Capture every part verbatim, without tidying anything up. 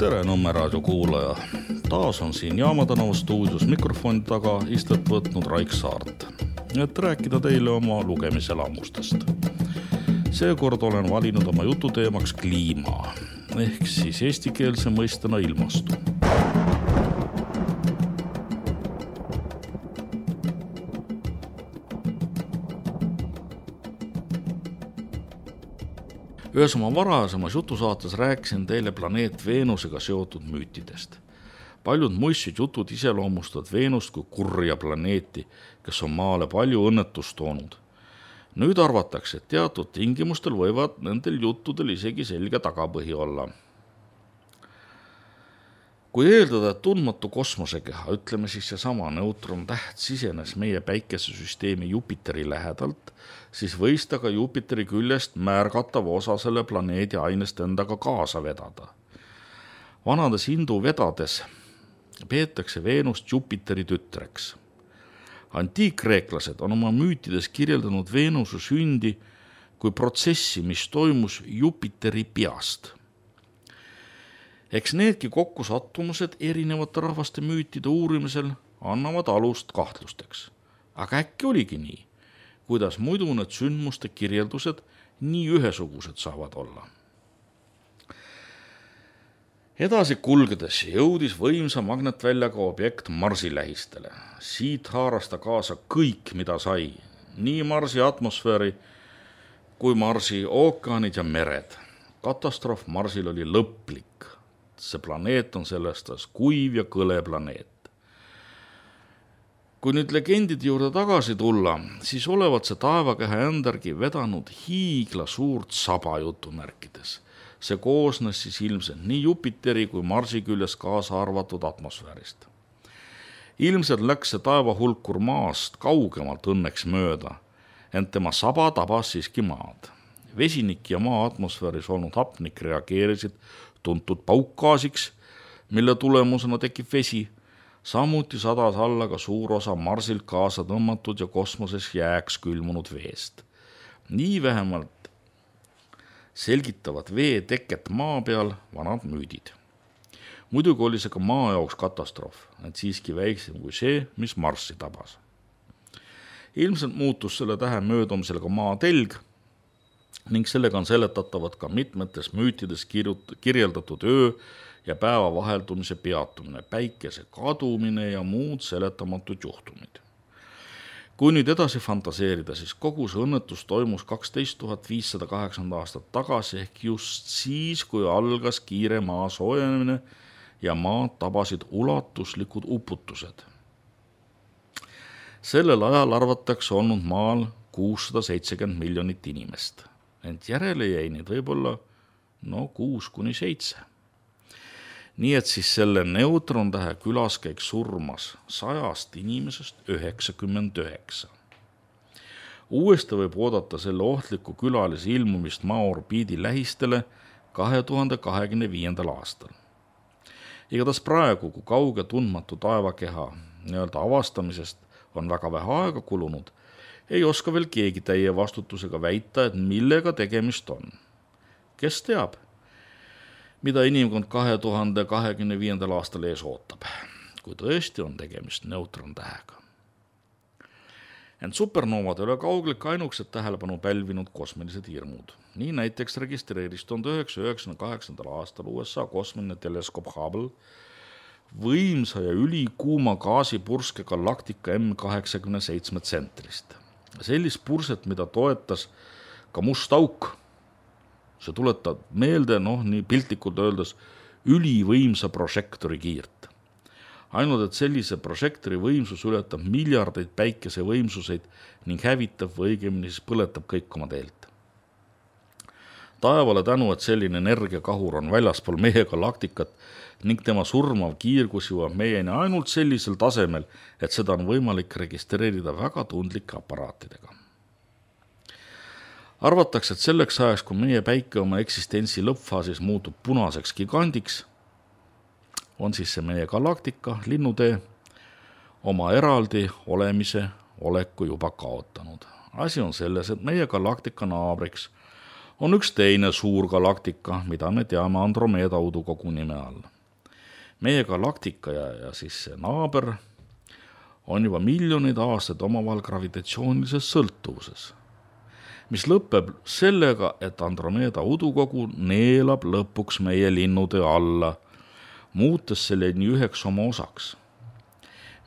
Tere Nõmme raadio kuulaja. Taas on siin Jaamatänava stuudios mikrofoni taga istet võtnud Raik Saart, et rääkida teile oma lugemiselamustest. Seekord olen valinud oma jututeemaks kliima, ehk siis eestikeelse mõistena ilmastu. Ühes oma varasemas jutusaates rääkisin teile planeet Veenusega seotud müütidest. Paljud muistsid jutud iseloomustavad Veenust kui kurja planeeti, kes on maale palju õnnetust toonud. Nüüd arvatakse, et teatud tingimustel võivad nendel juttudel isegi selge tagapõhi olla. Kui eeldada, et tundmatu kosmosekeha, ütleme siis seesama neutron täht sisenes meie päikesesüsteemi Jupiteri lähedalt, siis võis ta ka Jupiteri küljest märgatava osa selle planeedi ainest endaga kaasa vedada. Vanades hindu vedades peetakse Veenust Jupiteri tütreks. Antiikkreeklased on oma müütides kirjeldanud Veenuse sündi kui protsessi, mis toimus Jupiteri peast. Eks needki kokkusattumused erinevate rahvaste müütide uurimisel annavad alust kahtlusteks. Aga äkki oligi nii, kuidas muidu need sündmuste kirjeldused nii ühesugused saavad olla. Edasi kulgedes jõudis võimsa magnetväljaga objekt Marsi lähistele. Siit haaras ta kaasa kõik, mida sai, nii Marsi atmosfääri kui Marsi ookeanid ja mered. Katastroof Marsil oli lõplik. See planeet on sellest kuiv ja kõle planeet. Kui nüüd legendide juurde tagasi tulla, siis olevat see taevakeha endargi vedanud hiigla suurt saba jutumärkides. See koosnes siis ilmselt nii Jupiteri kui Marsi küljes kaasa arvatud atmosfäärist. Ilmselt läks see taevahulkur maast kaugemalt õnneks mööda, ent tema saba tabas siiski maad. Vesinik ja maa atmosfääris olnud hapnik reageerisid tuntud paukgaasiks, mille tulemusena tekib vesi. Samuti sadas alla ka suur osa Marsilt kaasa tõmmatud ja kosmoses jääks külmunud veest. Nii vähemalt selgitavad vee teket maa peal vanad müüdid. Muidugi oli see ka maa jaoks katastroof, et siiski väiksem kui see, mis Marsi tabas. Ilmselt muutus selle tähe möödumisel ka maa telg, ning sellega on seletatavad ka mitmetes müütides kirjeldatud öö ja päeva vaheldumise peatumine, päikese kadumine ja muud seletamatud juhtumid. Kui nüüd edasi fantaseerida, siis kogu see õnnetus toimus kaksteist tuhat viissada kaheksakümmend aastat tagasi ehk just siis, kui algas kiire maa soojenemine ja maad tabasid ulatuslikud uputused. Sellel ajal arvatakse olnud maal kuussada seitsekümmend miljonit inimest. Ent järele jäi neid võib-olla no kuus kuni seitse. Nii et siis selle neutrontähe külaskäik surmas sajast inimesest üheksakümmend üheksa. Uuesti võib oodata selle ohtliku külalise ilmumist maa orbiidi lähistele kahe tuhande kahekümne viiendal aastal. Igatahes praegu, kui kauge tundmatu taevakeha nii-öelda avastamisest on väga vähe aega kulunud, ei oska veel keegi täie vastutusega väita, et millega tegemist on. Kes teab, mida inimkond kahe tuhande kahekümne viiendal aastal ees ootab, kui tõesti on tegemist neutrontähega. Ent supernoovad ei ole kaugelik ainukesed tähelepanu pälvinud kosmilised hirmud. Nii näiteks registreeris tuhande üheksasaja üheksakümne kaheksandal aastal U S A kosmiline teleskoop Hubble võimsa ja ülikuuma gaasipurske galaktika M kaheksakümmend seitse tsentrist. Sellist purset, mida toetas ka must auk. See tuletab meelde, noh, nii piltlikult öeldes, ülivõimsa prožektori kiirt. Ainult, et sellise prožektori võimsus ületab miljardeid päikese võimsuseid ning hävitab või õigemini siis põletab kõik oma teelt. Taevale tänu, et selline energiakahur on väljaspool meie galaktikat ning tema surmav kiirgus jõuab meieni ainult sellisel tasemel, et seda on võimalik registreerida väga tundlike aparaatidega. Arvatakse, et selleks ajaks, kui meie päike oma eksistentsi lõppfaasis muutub punaseks gigandiks, on siis see meie galaktika, linnutee, oma eraldi olemise oleku juba kaotanud. Asi on selles, et meie galaktika naabriks on üks teine suur galaktika, mida me teame Andromeeda udukogu nime all. meie galaktika ja, ja siis see naaber on juba miljoneid aastaid omavahel gravitatsioonilises sõltuvuses, mis lõpeb sellega, et Andromeeda udukogu neelab lõpuks meie linnutöö alla, muutes selle nii üheks oma osaks.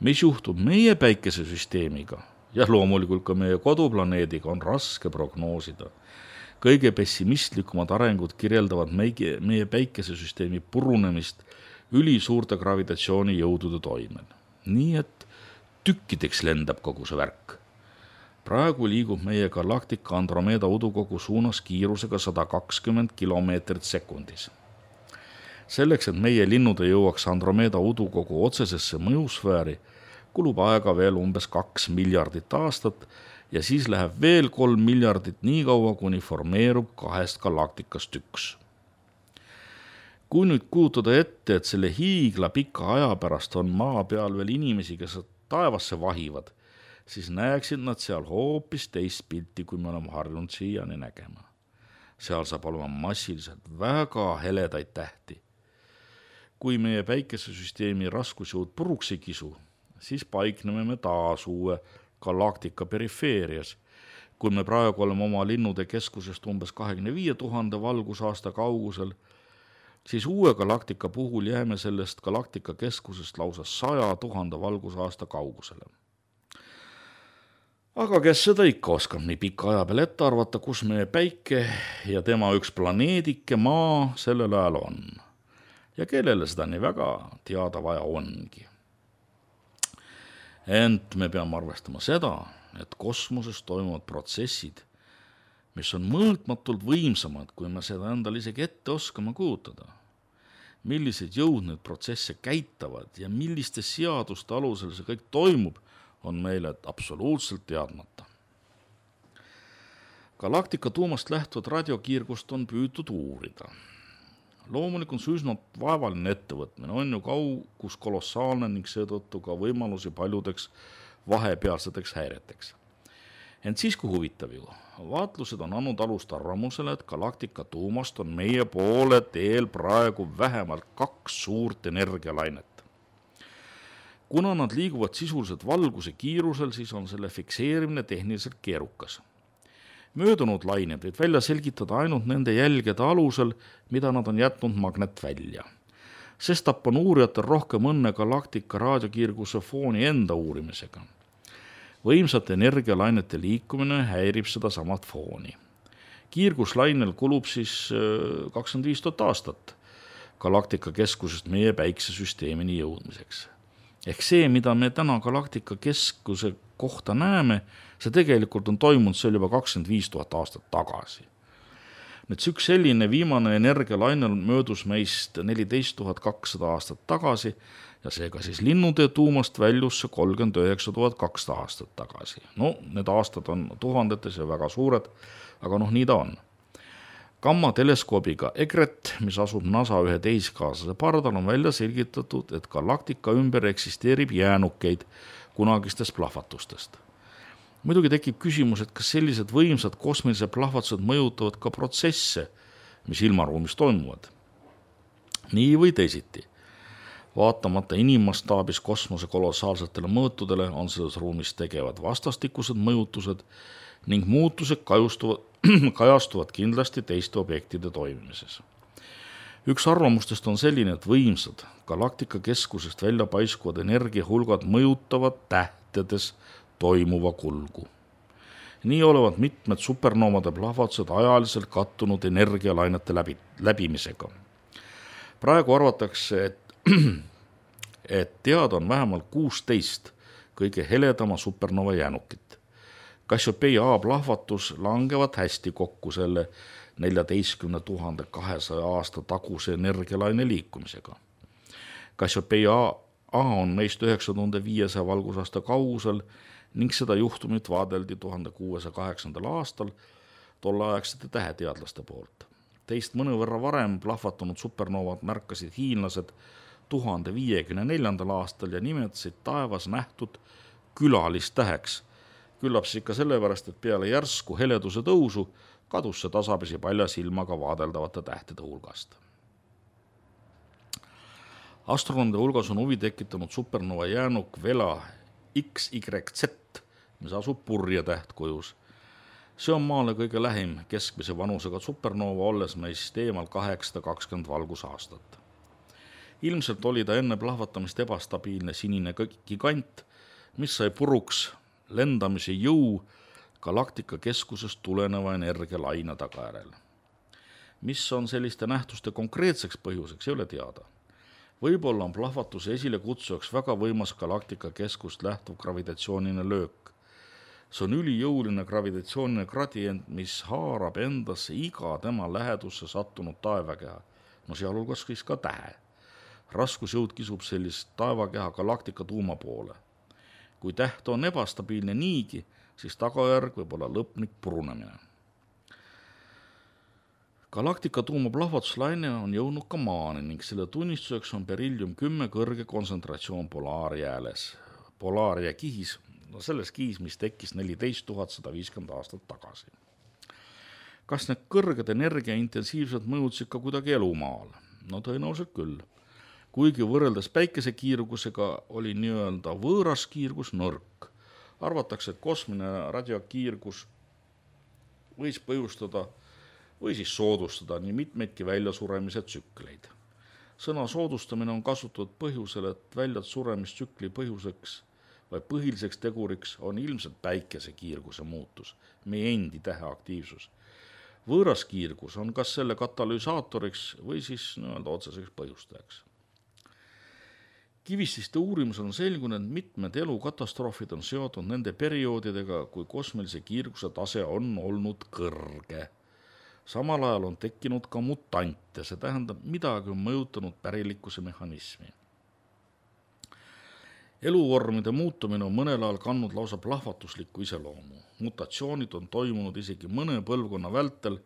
Mis juhtub meie päikesesüsteemiga ja loomulikult ka meie koduplaneediga, on raske prognoosida. Kõige pessimistlikumad arengud kirjeldavad meie, meie päikesesüsteemi purunemist ülisuurte gravitatsioonijõudude toimel. Nii et tükkideks lendab kogu see värk. Praegu liigub meie galaktika Andromeeda udukogu suunas kiirusega sada kakskümmend kilomeetrit sekundis. Selleks, et meie linnud jõuaks Andromeeda udukogu otsesesse mõjusfääri, kulub aega veel umbes kaks miljardit aastat ja siis läheb veel kolm miljardit nii kaua, kuni formeerub kahest galaktikast üks. Kui nüüd kujutada ette, et selle hiigla pika aja pärast on maa peal veel inimesi, kes taevasse vahivad, siis näeksid nad seal hoopis teist pilti, kui me oleme harjunud siiani nägema. Seal saab olema massiliselt väga heledaid tähti. Kui meie päikesesüsteemi raskusjõud puruks ei kisu, siis paikneme me taas uue galaktika perifeerias. Kui me praegu oleme oma linnude keskusest umbes kahekümne viie tuhande valgusaasta kaugusel, siis uue galaktika puhul jääme sellest galaktika keskusest lausa saja tuhande valgusaasta kaugusele. Aga kes seda ikka oskab nii pika aja peal ette arvata, kus meie päike ja tema üks planeedike maa sellel ajal on? Ja kellele seda nii väga teada vaja ongi. Ent me peame arvestama seda, et kosmoses toimuvad protsessid, mis on mõõtmatult võimsamad, kui me seda endale isegi ette oskama kujutada. Millised jõud need protsesse käitavad ja milliste seaduste alusel see kõik toimub, on meile absoluutselt teadmata. Galaktika tuumast lähtuvat radiokiirgust on püütud uurida. Loomulikult on see üsna vaevaline ettevõtmine, on ju kaugus kolossaalne ning seetõttu ka võimalusi paljudeks vahepealseteks häireteks. Ent siis kui huvitav ju, vaatlused on andnud alust arvamusele, et galaktika tuumast on meie poole teel praegu vähemalt kaks suurt energialainet. Kuna nad liiguvad sisuliselt valguse kiirusel, siis on selle fikseerimine tehniliselt keerukas. Möödunud lained võid välja selgitada ainult nende jälgede alusel, mida nad on jätnud magnet välja. Sestap on uurijatel rohkem õnne galaktika raadiokiirguse fooni enda uurimisega. Võimsate energialainete liikumine häirib seda samat fooni. Kiirguslainel kulub siis kakskümmend viis tuhat aastat galaktika keskusest meie päiksesüsteemini jõudmiseks. Ehk see, mida me täna galaktika keskuse kohta näeme, see tegelikult on toimunud seal juba kakskümmend viis tuhat aastat tagasi. Nüüd see üks selline viimane energialainel möödus meist neliteist tuhat kakssada aastat tagasi ja seega siis linnude tuumast väljus see kolmkümmend üheksa tuhat kakssada aastat tagasi. No, need aastad on tuhandetes ja väga suured, aga noh, nii ta on. Gamma teleskoobiga EGRET, mis asub NASA ühe tehiskaaslase pardal, on välja selgitatud, et galaktika ümber eksisteerib jäänukeid kunagistest plahvatustest. Muidugi tekib küsimus, et kas sellised võimsad kosmilised plahvatused mõjutavad ka protsesse, mis ilmaruumis toimuvad. Nii või teisiti. Vaatamata inimmastaabis kosmose kolossaalsetele mõõtudele on selles ruumis tegevad vastastikused mõjutused ning muutused kajustuvad, kajastuvad kindlasti teiste objektide toimimises. Üks arvamustest on selline, et võimsad galaktika keskusest välja paiskuvad energiahulgad mõjutavad tähtedes toimuva kulgu. Nii olevat mitmed supernoomade plahvatused ajaliselt kattunud energialainete läbi, läbimisega. Praegu arvatakse, et, et teada on vähemalt kuusteist kõige heledama supernova jäänukit. Cassiopeia A plahvatus langevad hästi kokku selle neljateistkümne tuhande kahesaja aasta taguse energialaine liikumisega. Cassiopeia A on meist üheksa tuhat viiesaja valgusaasta kaugusel ning seda juhtumit vaadeldi tuhande kuuesaja kaheksandal aastal tolleaegsete täheteadlaste poolt. Teist mõnevõrra varem plahvatunud supernovad märkasid hiinlased tuhande viiekümne neljandal aastal ja nimetasid taevas nähtud külalistäheks. Küllap siis ikka sellepärast, et peale järsku heleduse tõusu kadus see tasapisi palja silmaga vaadeldavate tähtede hulgast. Astronomide hulgas on huvi tekitanud supernova jäänuk Vela X Y Z, mis asub purje tähtkujus. See on Maale kõige lähim keskmise vanusega supernova, olles meist eemal kaheksasada kakskümmend valgusaastat. Ilmselt oli ta enne plahvatamist ebastabiilne sinine gigant, mis sai puruks lendamise jõu galaktika keskusest tuleneva energialaine tagajärjel. Mis on selliste nähtuste konkreetseks põhjuseks, ei ole teada. Võib-olla on plahvatuse esile kutsujaks väga võimas galaktika keskust lähtuv gravitatsiooniline löök. See on ülijõuline gravitatsiooniline gradient, mis haarab endasse iga tema lähedusse sattunud taevakeha, no sealhulgas siis ka tähe. Raskusjõud kisub sellist taevakeha galaktika tuuma poole. Kui täht on ebastabiilne niigi, siis tagajärg võib olla lõplik purunemine. Galaktika tuuma plahvatuslaine on jõudnud ka Maani ning selle tunnistuseks on berillium kümme kõrge kontsentratsioon polaarjääles, polaarjää kihis, no selles kihis, mis tekkis neliteist tuhat sada viiskümmend aastat tagasi. Kas need kõrged energia intensiivselt mõjutsid ka kuidagi elumaal? No tõenäoliselt küll. Kuigi võrreldes päikese kiirgusega oli nii-öelda võõras kiirgus nõrk. Arvatakse, et kosmine radiokiirgus võis põhjustada või siis soodustada nii mitmeidki väljasuremise tsükleid. Sõna soodustamine on kasutatud põhjusel, et väljad suremistsükli põhjuseks või põhiliseks teguriks on ilmselt päikese kiirguse muutus, meie endi tähe aktiivsus. Võõras kiirgus on kas selle katalüsaatoriks või siis nii-öelda otseseks põhjustajaks. Kivististe uurimus on selgunud, et mitmed elukatastroofid on seotud nende perioodidega, kui kosmilise kiirguse tase on olnud kõrge. Samal ajal on tekkinud ka mutante, see tähendab, midagi on mõjutanud pärilikkuse mehhanismi. Eluvormide muutumine on mõnel ajal kandnud lausa plahvatuslikku iseloomu. Mutatsioonid on toimunud isegi mõne põlvkonna vältel,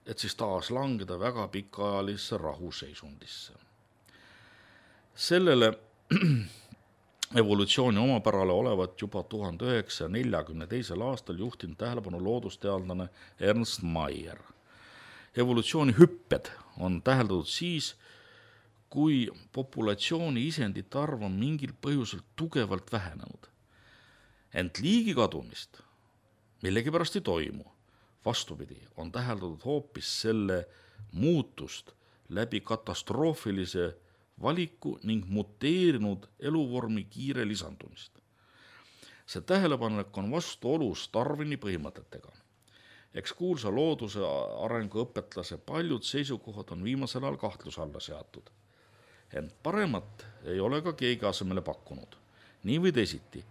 et siis taas langeda väga pikaajalisse rahuseisundisse. Sellele evolutsiooni omapärale olevat juba tuhande üheksasaja neljakümne teisel aastal juhtinud tähelepanu loodusteadlane Ernst Mayr. Evolutsiooni hüpped on täheldatud siis, kui populatsiooni isendite arv on mingil põhjusel tugevalt vähenenud. Ent liigi kadumist millegipärast ei toimu. Vastupidi, on täheldatud hoopis selle muutust läbi katastroofilise valiku ning muteerinud eluvormi kiire lisandumist. See tähelepanek on vastuolus Darwini põhimõtetega. Eks kuulsa looduse arengu õpetlase paljud seisukohad on viimasel ajal kahtluse alla seatud. Ent paremat ei ole ka keegi asemele pakkunud. Nii või teisiti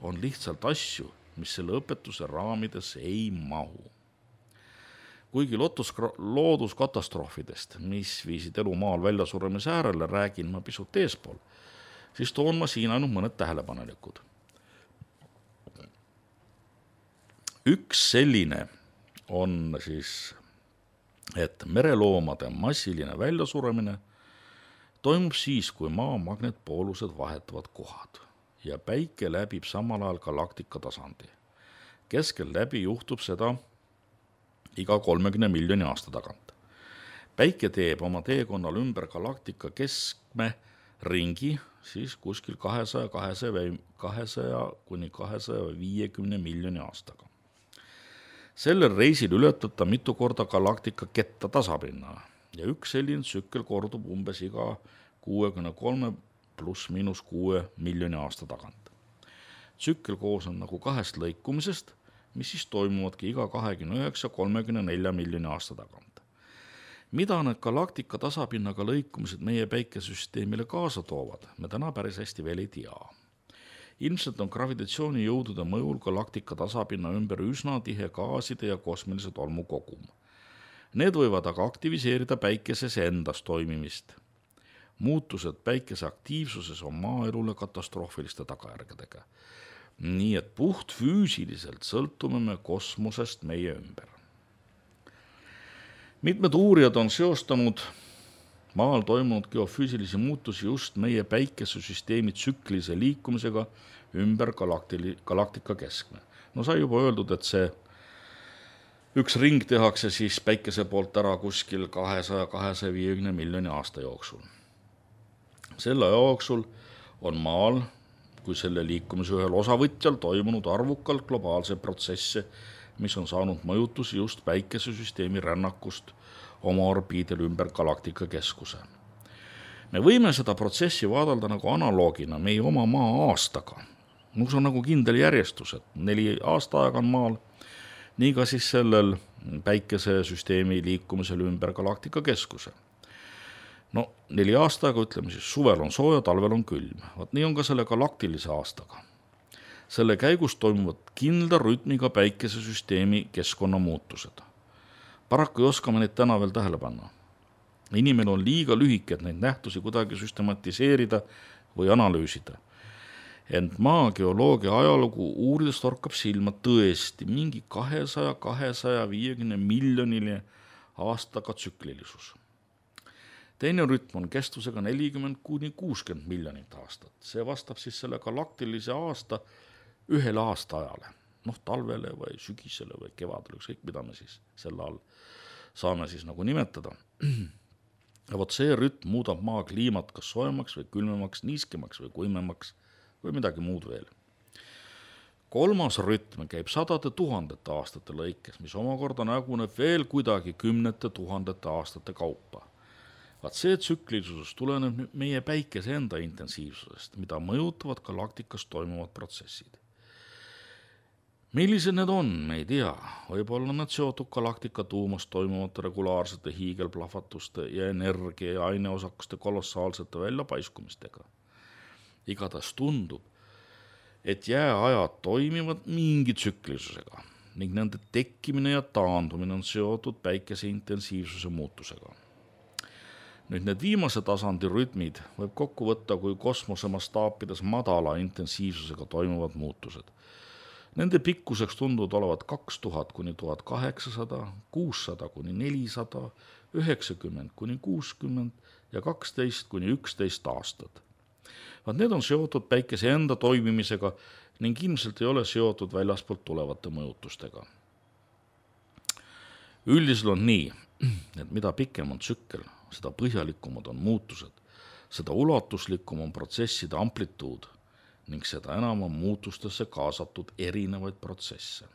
on lihtsalt asju, mis selle õpetuse raamides ei mahu. Kuigi looduskatastroofidest, mis viisid elu maal väljasuremise äärele, räägin ma pisut eespool, siis toon ma siin ainult mõned tähelepanelikud. Üks selline on siis, et mereloomade massiline väljasuremine toimub siis, kui maa magnetpoolused vahetavad kohad ja päike läbib samal ajal galaktika tasandi. Keskel läbi juhtub seda iga kolmekümne miljoni aasta tagant. Päike teeb oma teekonnal ümber galaktika keskme ringi siis kuskil kahesaja kuni kahesaja viiekümne miljoni aastaga. Sellel reisil ületab ta mitu korda galaktika ketta tasapinna ja üks selline tsükkel kordub umbes iga kuuekümne kolme pluss miinus kuue miljoni aasta tagant. Tsükkel koosneb nagu kahest lõikumisest, mis siis toimuvadki iga kahekümne üheksa kolmekümne nelja miljoni aasta tagant. Mida need galaktika tasapinnaga lõikumised meie päikesüsteemile kaasa toovad, me täna päris hästi veel ei tea. Ilmselt on gravitatsiooni jõudude mõjul galaktika tasapinna ümber üsna tihe gaaside ja kosmilise tolmu kogum. Need võivad aga aktiviseerida päikeses endas toimimist. Muutused päikese aktiivsuses on maaelule katastroofiliste tagajärgedega. Nii et puht füüsiliselt sõltume me kosmosest meie ümber. Mitmed uurijad on seostanud maal toimunud geofüüsilisi muutusi just meie päikesesüsteemi tsüklise liikumisega ümber galaktili, galaktika keskme. No sai juba öeldud, et see üks ring tehakse siis päikese poolt ära kuskil kahesaja kuni kahesaja viiekümne miljoni aasta jooksul. Selle jooksul on maal kui selle liikumise ühel osavõtjal toimunud arvukalt globaalse protsesse, mis on saanud mõjutusi just päikesesüsteemi rännakust oma orbiidil ümber galaktika keskuse. Me võime seda protsessi vaadelda nagu analoogina meie oma maa aastaga. See on nagu kindel järjestus, et neli aastaaega on maal, nii ka siis sellel päikesesüsteemi liikumisel ümber galaktika keskuse. No neli aastaga, ütleme siis, suvel on sooja, talvel on külm. Vaat nii on ka selle galaktilise aastaga. Selle käigus toimuvad kindla rütmiga päikesesüsteemi keskkonnamuutused. Paraku ei oska me neid täna veel tähele panna. Inimene on liiga lühike, et neid nähtusi kuidagi süstematiseerida või analüüsida. Ent maa geoloogia ajalugu uurides torkab silma tõesti mingi kahesaja kuni kahesaja viiekümne miljoniline aastaga tsüklilisus. Teine rütm on kestusega nelikümmend kuni kuuskümmend miljonit aastat. See vastab siis selle galaktilise aasta ühele aastaajale. Noh, talvele või sügisele või kevadele, ükskõik mida me siis selle all saame siis nagu nimetada. Ja vot see rütm muudab maa kliimat kas soojemaks või külmemaks, niiskemaks või kuimemaks või midagi muud veel. Kolmas rütm käib sadade tuhandete aastate lõikes, mis omakorda näguneb veel kuidagi kümnete tuhandete aastate kaupa. Vaat see tsüklilisus tuleneb meie päikese enda intensiivsusest, mida mõjutavad galaktikas toimuvad protsessid. Millised need on, me ei tea. Võib-olla need seotud galaktika tuumas toimuvate regulaarsete hiigelplahvatuste ja energia ja aineosakuste kolossaalsete väljapaiskumistega. Igatahes tundub, et jääajad toimivad mingi tsüklilisusega ning nende tekkimine ja taandumine on seotud päikese intensiivsuse muutusega. Nüüd need viimase tasandi rütmid võib kokku võtta kui kosmose mastaapides madala intensiivsusega toimuvad muutused. Nende pikkuseks tunduvad olevat kaks tuhat kuni tuhat kaheksasada, kuussada kuni nelisada, üheksakümmend kuni kuuskümmend ja kaksteist kuni üksteist aastat. Vaat need on seotud päikese enda toimimisega ning ilmselt ei ole seotud väljaspoolt tulevate mõjutustega. Üldiselt on nii, et mida pikem on tsükkel, seda põhjalikumad on muutused, seda ulatuslikum on protsesside amplituud ning seda enam on muutustesse kaasatud erinevaid protsesse.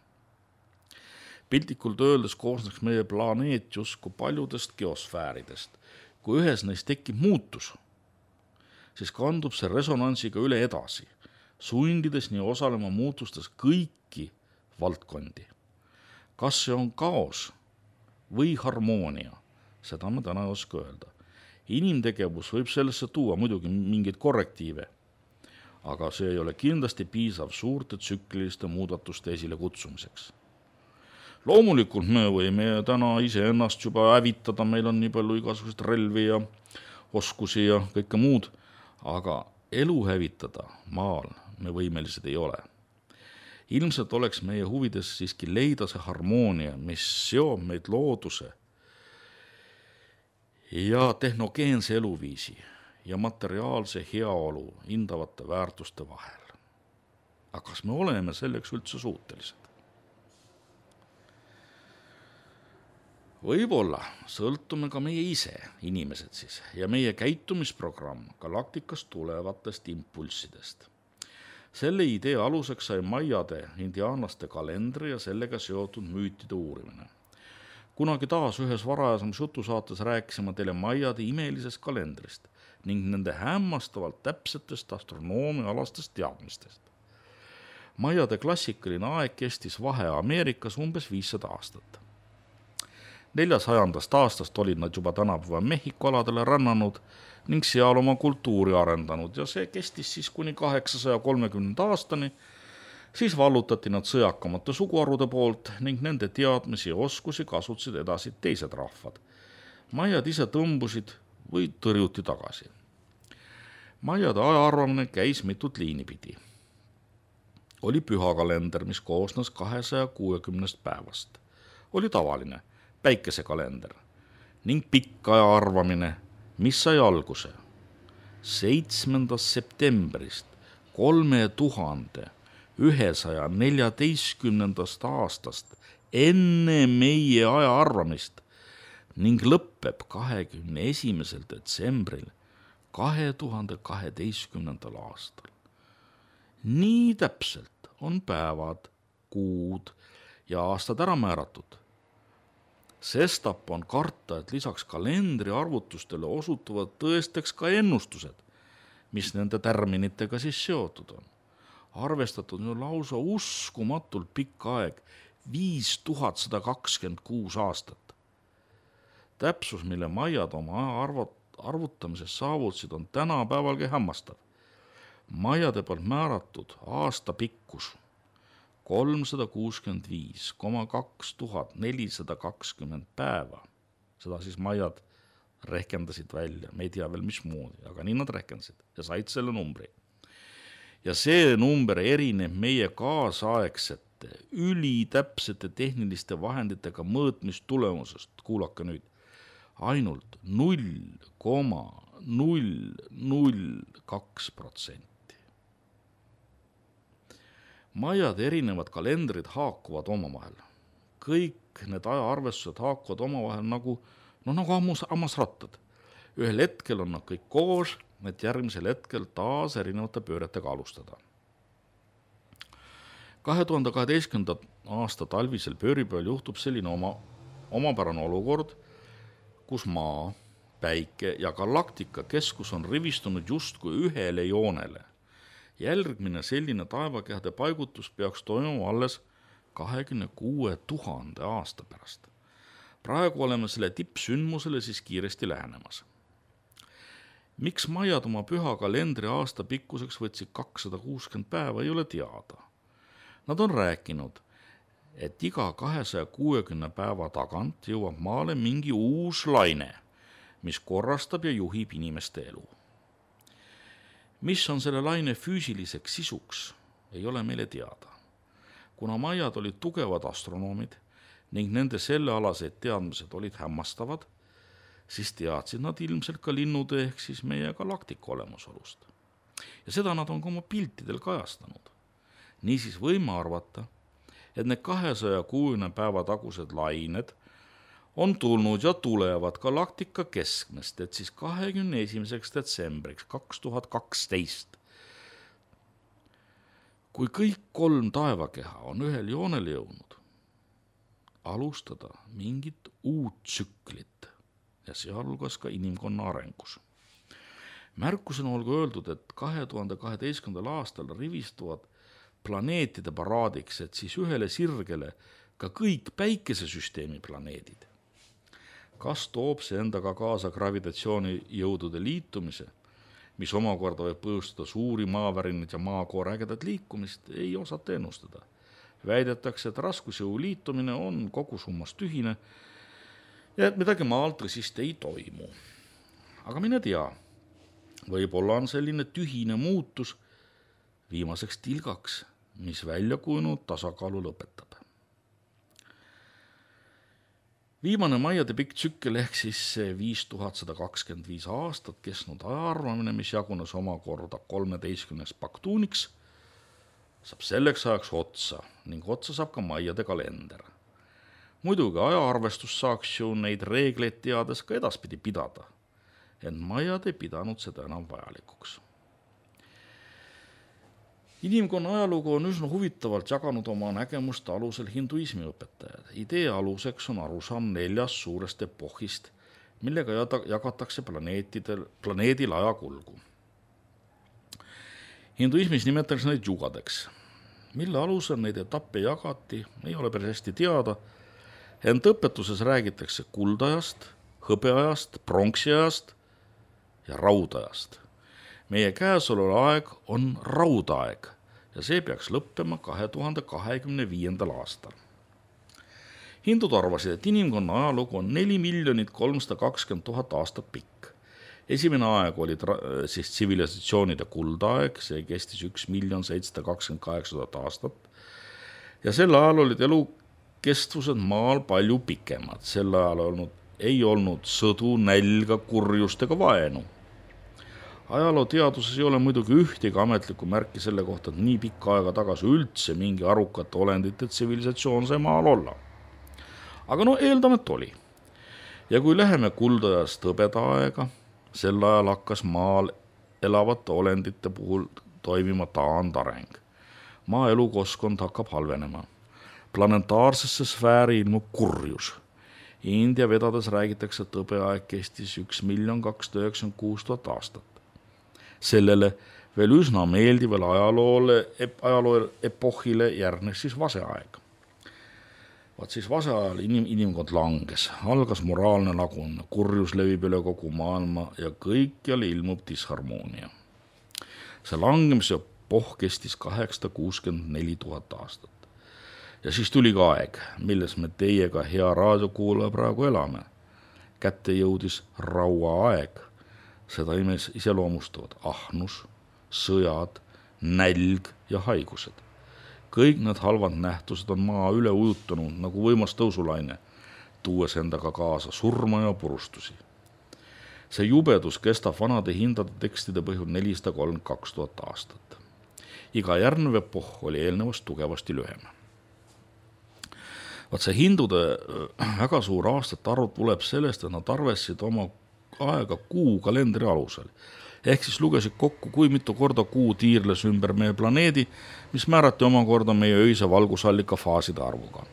Piltlikult öeldes koosneks meie planeet justkui paljudest geosfääridest. Kui ühes neist tekib muutus, siis kandub see resonansiga üle edasi, sundides nii osalema muutustes kõiki valdkondi. Kas see on kaos või harmoonia? Seda me täna ei oska öelda. Inimtegevus võib sellesse tuua muidugi mingeid korrektiive, aga see ei ole kindlasti piisav suurte tsükliliste muudatuste esile kutsumiseks. Loomulikult me võime täna iseennast juba hävitada, meil on nii palju igasugust relvi ja oskusi ja kõike muud, aga elu hävitada maal me võimelised ei ole. Ilmselt oleks meie huvides siiski leida see harmoonia, mis seob meid looduse ja tehnogeense eluviisi ja materiaalse heaolu hindavate väärtuste vahel. Aga kas me oleme selleks üldse suutelised? Võib-olla sõltume ka meie ise, inimesed siis, ja meie käitumisprogramm galaktikast tulevatest impulssidest. Selle idee aluseks sai maiade, indiaanlaste kalendri ja sellega seotud müütide uurimine. Kunagi taas ühes varajasemas jutusaates rääkisime teile maiade imelisest kalendrist ning nende hämmastavalt täpsetest astronoomialastest teadmistest. Maiade klassikaline aeg kestis vahe Ameerikas umbes viissada aastat. neljasajandast aastast olid nad juba tänapäeva Mehhiko aladele rännanud ning seal oma kultuuri arendanud ja see kestis siis kuni kaheksasaja kolmekümnenda aastani. Siis vallutati nad sõjakamate suguharude poolt ning nende teadmisi ja oskusi kasutasid edasi teised rahvad. Maiad ise tõmbusid või tõrjuti tagasi. Maiade ajaarvamine käis mitut liini pidi. Oli pühakalender, mis koosnes kahesaja kuuekümnest päevast. Oli tavaline päikesekalender ning pikk ajaarvamine, mis sai alguse seitsmendast septembrist kolme tuhande ühesaja neljateistkümnendast aastast enne meie ajaarvamist ning lõppeb kahekümne esimesel detsembril kahe tuhande kaheteistkümnendal aastal. Nii täpselt on päevad, kuud ja aastad ära määratud. Sestap on karta, et lisaks kalendri arvutustele osutuvad tõesteks ka ennustused, mis nende tärminitega siis seotud on. Arvestatud on lausa uskumatult pikk aeg, viis tuhat sada kakskümmend kuus aastat. Täpsus, mille Maiad oma arvutamises saavutasid, on tänapäevalgi hämmastav. Maiade poolt määratud aasta pikkus kolmsada kuuskümmend viis koma kaks tuhat nelisada kakskümmend päeva. Seda siis Maiad rehkendasid välja, me ei tea veel mismoodi, aga nii nad rehkendasid ja said selle numbri. Ja see number erineb meie kaasaegsete, ülitäpsete tehniliste vahenditega mõõtmistulemusest, kuulake nüüd, ainult null koma null null kaks protsenti. Maiad erinevad kalendrid haakuvad omavahel. Kõik need ajaarvestused haakuvad omavahel nagu, no nagu ammus, ammasrattad. Ühel hetkel on nad kõik koos, et järgmisel hetkel taas erinevate pööretega alustada. kahe tuhande kaheteistkümnenda aasta talvisel pööripäeval juhtub selline oma, omapärane olukord, kus maa, päike ja galaktika keskus on rivistunud justkui ühele joonele. Jälgmine selline taevakehade paigutus peaks toimuma alles kahekümne kuue tuhande aasta pärast. Praegu oleme selle tippsündmusele siis kiiresti lähenemas. Miks Maiad oma püha kalendri aasta pikkuseks võtsid kakssada kuuskümmend päeva, ei ole teada. Nad on rääkinud, et iga kahesaja kuuekümne päeva tagant jõuab maale mingi uus laine, mis korrastab ja juhib inimeste elu. Mis on selle laine füüsiliseks sisuks, ei ole meile teada. Kuna Maiad olid tugevad astronoomid ning nende sellealased teadmised olid hämmastavad, siis teadsid nad ilmselt ka linnude ehk siis meie galaktika olemusolust. Ja seda nad on ka oma piltidel kajastanud. Niisiis võime arvata, et need kahesaja kuuekümne päeva tagused lained on tulnud ja tulevad galaktika keskmest, et siis kahekümne esimeseks detsembriks kaks tuhat kaksteist. Kui kõik kolm taevakeha on ühel joonele jõudnud, alustada mingit uut tsüklit ja sealhulgas ka inimkonna arengus. Märkusena olgu öeldud, et kahe tuhande kaheteistkümnendal aastal rivistuvad planeetide paraadiks, et siis ühele sirgele ka kõik päikesesüsteemi planeedid. Kas toob see endaga kaasa gravitatsioonijõudude liitumise, mis omakorda võib põhjustada suuri maavärinaid ja maakoore ägedat liikumist, ei osata ennustada. Väidetakse, et raskusjõu liitumine on kogu summas tühine ja et midagi maalt tõsist ei toimu. Aga mine tea, võib-olla on selline tühine muutus viimaseks tilgaks, mis välja kujunud tasakaalu lõpetab. Viimane Maiade pikk tsükkel ehk siis viis tuhat sada kakskümmend viis aastat kestnud ajaarvamine, mis jagunes omakorda kolmeteistkümneks paktuuniks, saab selleks ajaks otsa ning otsa saab ka Maiade kalender. Muidugi ajaarvestus saaks ju neid reegleid teades ka edaspidi pidada, ent Maiad ei pidanud seda enam vajalikuks. Inimkonna ajalugu on üsna huvitavalt jaganud oma nägemuste alusel hinduismi õpetajad. Idee aluseks on arusaam neljast suurest epohist, millega jagatakse planeetidel, planeedil ajakulgu. Hinduismis nimetatakse neid jugadeks. Mille alusel neid etappe jagati, ei ole päris hästi teada, ent õpetuses räägitakse kuldajast, hõbeajast, pronksiajast ja raudajast. Meie käesolev aeg on raudaeg ja see peaks lõppema kahe tuhande kahekümne viiendal aastal. Hindud arvasid, et inimkonna ajalugu on neli miljonit kolmsada kakskümmend tuhat aastat pikk. Esimene aeg oli tra- siis tsivilisatsioonide kuldaeg, see kestis üks miljon seitsesada kakskümmend kaheksa tuhat aastat ja sel ajal olid elukestvused maal palju pikemad. Sel ajal olnud, ei olnud sõdu, nälga, kurjust ega vaenu. Ajaloo teaduses ei ole muidugi ühtegi ametlikku märki selle kohta, et nii pikka aega tagasi üldse mingi arukate olendite tsivilisatsioon sai maal olla. Aga no eeldame, et oli. Ja kui läheme kuldajast hõbeda aega, Sel ajal hakkas maal elavate olendite puhul toimima taandareng. Maa elukoskkond hakkab halvenema. Planetaarsesse sfääri ilmub kurjus. India vedades räägitakse, et tõbeaeg kestis üks miljon kakssada üheksakümmend kuus tuhat aastat. Sellele veel üsna meeldivale ajaloole, ajaloo epohhile järgnes siis vaseaeg. Vaat siis vaseajal inim, inimkond langes, algas moraalne lagun, kurjus levib üle kogu maailma ja kõikjal ilmub disharmoonia. See langemise epohh kestis kaheksasada kuuskümmend neli tuhat aastat. Ja siis tuli ka aeg, milles me teiega hea raadiokuulaja praegu elame. Kätte jõudis rauaaeg. Seda imes iseloomustavad ahnus, sõjad, nälg ja haigused. Kõik need halvad nähtused on maa üle ujutanud nagu võimas tõusulaine, tuues endaga kaasa surma ja purustusi. See jubedus kestab vanade hindade tekstide põhjul nelisada kolmkümmend kaks tuhat aastat. Iga järgnev epohh oli eelnevast tugevasti lühem. Vaat see hindude väga suur aastate arv tuleb sellest, et nad arvestasid oma aega kuu kalendri alusel. Ehk siis lugesid kokku, kui mitu korda kuu tiirles ümber meie planeedi, mis määrati omakorda meie öise valgusallika faaside arvuga.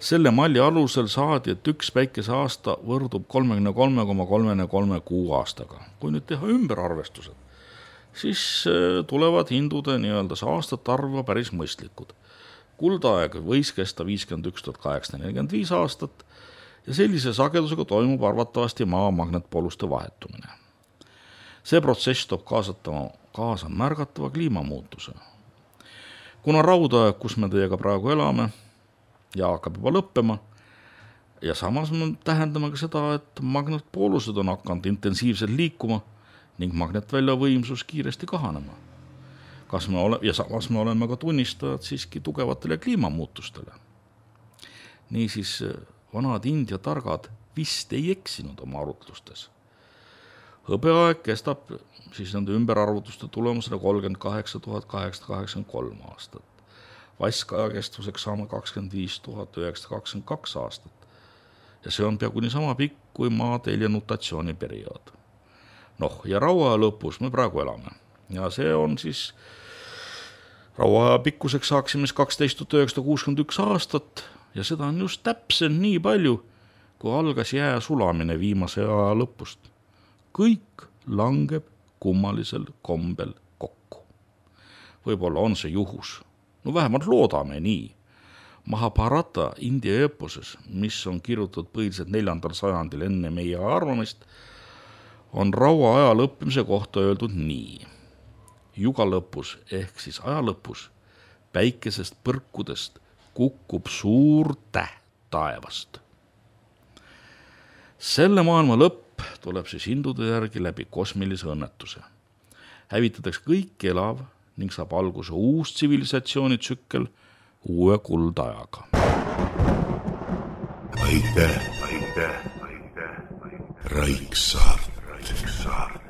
Selle malli alusel saadi, et üks päikese aasta võrdub kolmekümne kolme koma kolmekümne kolme kuu aastaga. Kui nüüd teha ümberarvestused, siis tulevad hindude nii-öelda aastate arva päris mõistlikud. Kuldaeg võis kesta viiskümmend üks tuhat kaheksasada nelikümmend viis aastat ja sellise sagedusega toimub arvatavasti maa magnetpooluste vahetumine. See protsess toob kaasatama, kaasa märgatava kliimamuutuse. Kuna raudaeg, kus me teiega praegu elame ja hakkab juba lõppema ja samas me tähendame ka seda, et magnetpoolused on hakanud intensiivselt liikuma ning magnetvälja võimsus kiiresti kahanema. Kas me ole, ja samas me oleme ka tunnistajad siiski tugevatele kliimamuutustele. Niisiis vanad India targad vist ei eksinud oma arutlustes. Hõbeaeg kestab siis nende ümberarvutuste tulemusena kolmkümmend kaheksa tuhat kaheksasada kaheksakümmend kolm aastat. Vaskaja kestvuseks saame kakskümmend viis tuhat üheksasada kakskümmend kaks aastat. Ja see on peaaegu nii sama pikk kui maatelje nutatsiooni periood. Noh, ja rauaja lõpus me praegu elame. Ja see on siis rauaja pikkuseks saaksime kaksteist tuhat üheksasada kuuskümmend üks aastat ja seda on just täpselt nii palju, kui algas jää sulamine viimase aja lõpust. Kõik langeb kummalisel kombel kokku. Võib-olla on see juhus. No vähemalt loodame nii. Mahabharata India eeposes, mis on kirjutatud põhiliselt neljandal sajandil enne meie arvamist, on raua aja lõppimise kohta öeldud nii. Juga lõpus ehk siis aja lõpus päikesest põrkudest kukub suur täht taevast. Selle maailma lõpp tuleb siis hindude järgi läbi kosmilise õnnetuse. Hävitatakse kõik elav ning saab alguse uus tsivilisatsioonitsükkel uue kuldajaga. Aitäh, aitäh, aitäh, Raiksaart. Raiksaart.